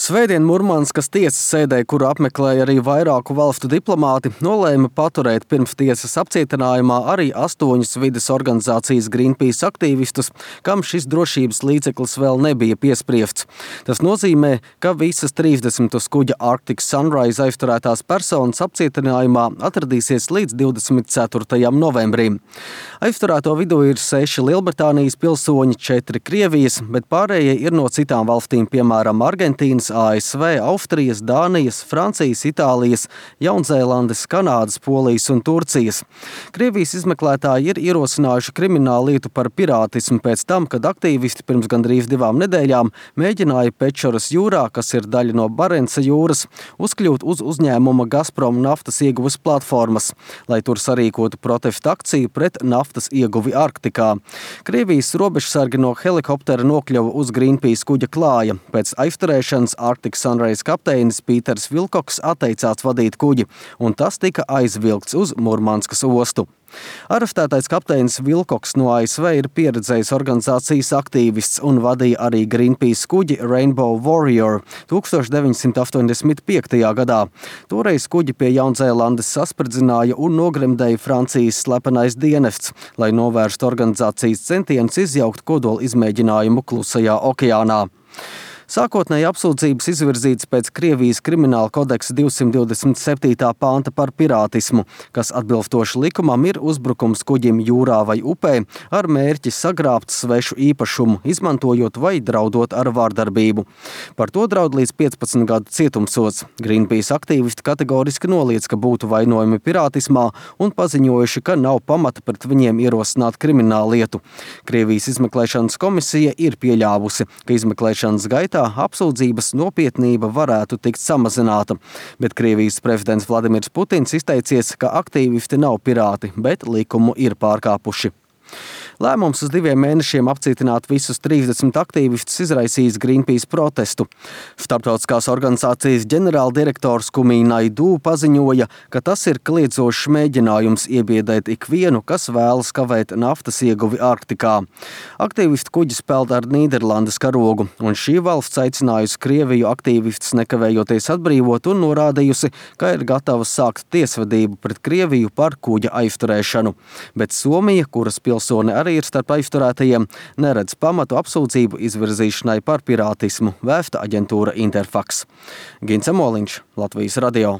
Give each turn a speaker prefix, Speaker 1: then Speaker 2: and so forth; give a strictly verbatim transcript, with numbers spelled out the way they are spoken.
Speaker 1: Svētdien Murmanskas tiesas sēdē, kuru apmeklēja arī vairāku valstu diplomāti, nolēma paturēt pirms tiesas apcietinājumā arī astoņus vides organizācijas Greenpeace aktīvistus, kam šis drošības līdzeklis vēl nebija piespriests. Tas nozīmē, ka visas trīsdesmit uz kuģa Arctic Sunrise aizturētās personas apcietinājumā atradīsies līdz divdesmit ceturtajam novembrim. Aizturēto vidū ir seši Lielbritānijas pilsoņi, četri Krievijas, bet pārējie ir no citām valstīm, piemēram, Argentīnas, A S V, Austrijas, Dānijas, Francijas, Itālijas, Jaunzēlandes, Kanādas, Polijas un Turcijas. Krievijas izmeklētāji ir ierosinājuši kriminālu lietu par pirātismu pēc tam, kad aktīvisti pirms gandrīz divām nedēļām mēģināja Pečoras jūrā, kas ir daļa no Barenca jūras, uzkļūt uz uzņēmuma Gazprom naftas ieguves platformas, lai tur sarīkotu protestu akciju pret naftas ieguvi Arktikā. Krievijas robežsargi no helikoptera nokļuva uz Greenpeace kuģa klāja. Pēc aizturēšanas Arctic Sunrise kapteinis Pīters Vilkoks atteicās vadīt kuģi, un tas tika aizvilkts uz Murmanskas ostu. Arestētais kapteinis Vilkoks no A S V ir pieredzējis organizācijas aktīvists un vadīja arī Greenpeace kuģi Rainbow Warrior tūkstoš deviņsimt astoņdesmit piektajā gadā. Toreiz kuģi pie Jaunzēlandes saspridzināja un nogremdēja Francijas slepenais dienests, lai novērstu organizācijas centienus izjaukt kodola izmēģinājumu Klusajā okeānā. Sākotnēji apsūdzības izvirzītas pēc Krievijas krimināla kodeksa divsimt divdesmit septītā panta par pirātismu, kas atbilstoši likumam ir uzbrukums kuģim jūrā vai upē ar mērķi sagrābt svešu īpašumu, izmantojot vai draudot ar vārdarbību. Par to draud līdz piecpadsmit gadu cietumsods. Greenpeace aktīvisti kategoriski noliedz, ka būtu vainojumi pirātismā un paziņojuši, ka nav pamata pret viņiem ierosināt kriminālu lietu. Krievijas izmeklēšanas komisija ir pieļāvusi, ka izmeklēšanas gaitā apsūdzības nopietnība varētu tikt samazināta, bet Krievijas prezidents Vladimirs Putins izteicies, ka aktīvisti nav pirāti, bet likumu ir pārkāpuši. Lēmums uz diviem mēnešiem apcietināt visus trīsdesmit aktīvistus izraisījis Greenpeace protestu. Starptautiskās organizācijas ģenerāldirektors Kumī Naidū paziņoja, ka tas ir kliedzošs mēģinājums iebiedēt ikvienu, kas vēlas kavēt naftas ieguvi Arktikā. Aktīvistu kuģis peld ar Nīderlandes karogu, un šī valsts aicinājusi Krieviju aktīvistus nekavējoties atbrīvot un norādījusi, ka ir gatava sākt tiesvedību pret Krieviju par kuģa aizturēšanu. Bet Somija, kuras pilsoni arī ir starp aizturētajiem, neredz pamatu apsūdzību izvirzīšanai par pirātismu, vēsta aģentūra Interfax. Gints Emoliņš, Latvijas radio.